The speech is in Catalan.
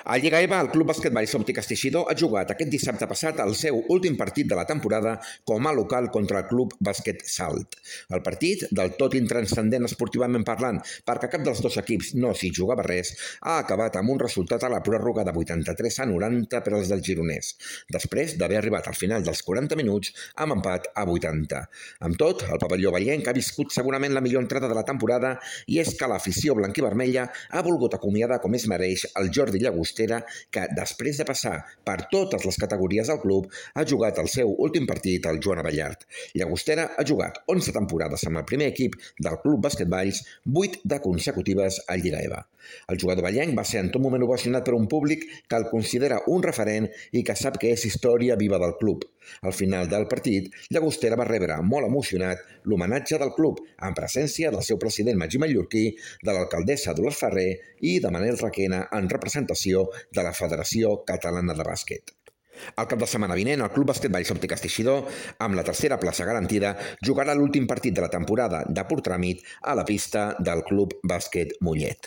A Lliga EVA, el Club Basquetball Òptiques Teixidor ha jugat aquest dissabte passat el seu últim partit de la temporada com a local contra el Club Bàsquet Salt. El partit, del tot intranscendent esportivament parlant, perquè cap dels dos equips no s'hi jugava res, ha acabat amb un resultat a la pròrroga de 83-90 per als dels gironers, després d'haver arribat al final dels 40 minuts amb empat a 80. Amb tot, el pavelló vallenc ha viscut segurament la millor entrada de la temporada i és que l'afició blanquivermella ha volgut acomiadar com es mereix el Jordi Llagostera, que després de passar per totes les categories del club ha jugat el seu últim partit al Joan Abellart. Llagostera ha jugat 11 temporades amb el primer equip del Club Basquetballs, 8 de consecutives a Lliga EVA. El jugador vallenc va ser en tot moment ovacionat per un públic que el considera un referent i que sap que és història viva del club. Al final del partit, Llagostera va rebre molt emocionat l'homenatge del club, en presència del seu president Magí Mallorquí, de l'alcaldessa Dolors Ferrer i de Manel Requena en representació de la Federació Catalana de Bàsquet. El cap de setmana vinent, el Club Basquetball Òptiques Teixidor, amb la tercera plaça garantida, jugarà l'últim partit de la temporada de pur tràmit a la pista del Club Bàsquet Mollet.